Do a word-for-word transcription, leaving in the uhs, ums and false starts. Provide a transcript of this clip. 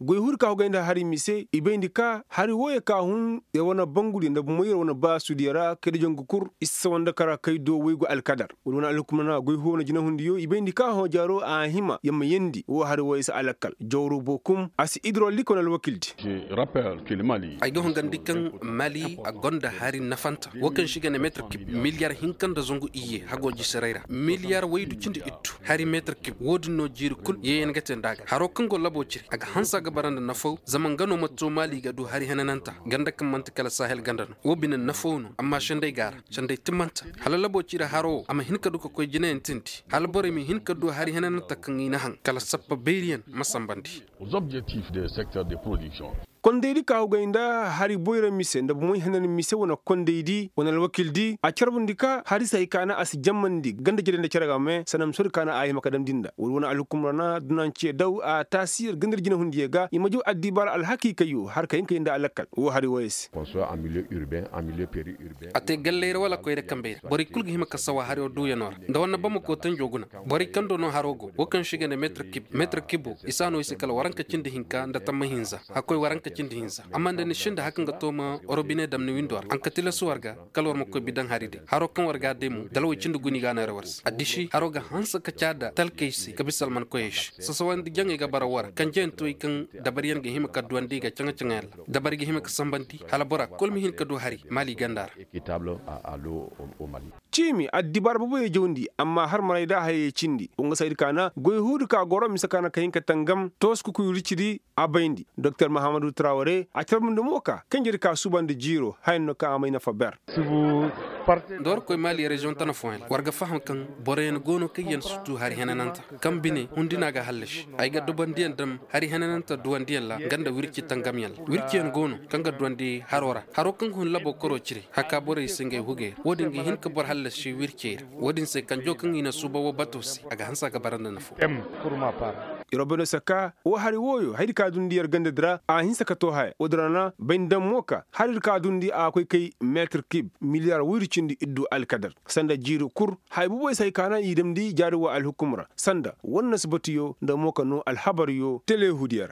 Goy huudi ka hogay nda hari mise i bayndi ka hari wooyo ka hun yer wane bangudiyo nda bomoy yer wane baasudiyo ra kay da jangu kul i si sawa nda kara kay do waygu alkadar. Woodi wane alhukumna goy huudi wane jinahundiyo i bayndi ka hõ jaaro a hima yer ma yeendi woo hari wooyo si a lakkal jawru bookum a si idrolik wane alwakildi. Ay ga hungandi kaŋ mali a gonda hari nafanta woo kaŋ se i ga ne meetir kib miliyar hinka nda zangu iyye hagoo jisiray ra miliyar waydu cindi ittu hari meetir kib woo din no jiiri kul yeeyan ga te nda a ga haroo kaŋ go laboo cire a ga hanse a ga bara nda nafaw zama nga no ma too mali ga du hari henananta ganda kaŋ man'ti kala sahel ganda no woo bine nafaw no amma senday ga a ra senday timmanta hala laboo cire haroo woo a ma hin ka du ka koy jinayaŋ tindi hala borey ma hin ka du hari henananta kaŋ i na haŋ kala sappa bayriyaŋ ma sambandi. Kondaydi ka hugay nda hari boyra mise nda bomoy henan mise wane kondaydi wane alwakildi a carbundi ka hari se hay ka na a si jammandi ganda jere nda cere ga me sanda misoodi ka na a hima ka damndi nda woodi wane alhukumra na dunaŋ ce daw a taasi yer ganda yer jinahundiyo ga i ma jaw addibaara alhakiikayyo har ka hin ka yee nda a lakkal woo hari wooyo se. A te galley ra wala koyra kambey ra borey kul ga hima ka sawa hariyo duuyanoo ra nda war na bamako tanjo guna. Borey kaŋ do no haro go wo kaŋ se i ga ne meetir kibo i si a no i se kala waranka cindi hinka nda tamma hinza hakkoy waranka cindi hinza amma nda ni sinda haka nga to ma robine dam ni windo ra haŋ ka tilas war ga kala war ma koy bi daŋ hari day haro kaŋ war ga a day mo dalwey cindi guni ga a neera war se addisi haro ga hanse ka ca da talkey se ka bisa almankoyey se sasawandi jaŋey ga bara war kanjeyaŋ toy kaŋ dabariyaŋ ga hima ka duwandi ga caŋa-caŋayaŋ ra dabari ga hima ka sambandi hala bora kul ma hin ka du hari maali ganda ra. Ciimi addibaara boboyey jawndi amma har maray da a hayey cindi wa nga saydi ka na goy huudi ka goro mise ka na ka hin ka tangam toos kukuy wircidi a bayndi doktor mahamadu traware a carbundi mo ka kanjedi ka suubandi jiiro haya no kaŋ a may nafa ber. Nda war koy maali reziyoŋ tana fooyaŋ ra war ga faham kaŋ boroyaŋ go no kaŋ yaŋ si tu hari henananta kaŋ bine hundi no a ga hallasi ay ga dubandiyaŋ dam hari henananta duwandiyaŋ ra nga nda wirci tangamyaŋ ra wirciyaŋ go no kaŋ ga duwandi haro ra haro kaŋ ga hun labo koro cire haka borey se ngey hugey ra wo-din ga hin ka boro hallasi wircey ra wo-din se kanjo kaŋ i na suuba wo bato se a ga hanse a ga bara nda nafo. Yer wo bay no se ka wo hari wooyo hayadi ka dundi yer gandadi ra a hinse ka too haya wo-din ra na bay nda daŋ mo ka haridi ka dundi a ga koy kay meetir kib miliyar woyri cindi iddu alkadar sanda jiiri kul haya boboy se hay ka na i damndi jaari wa alhukum ra sanda war na si batuyo nda mo ka noo alhabaryo telehudiyo ra.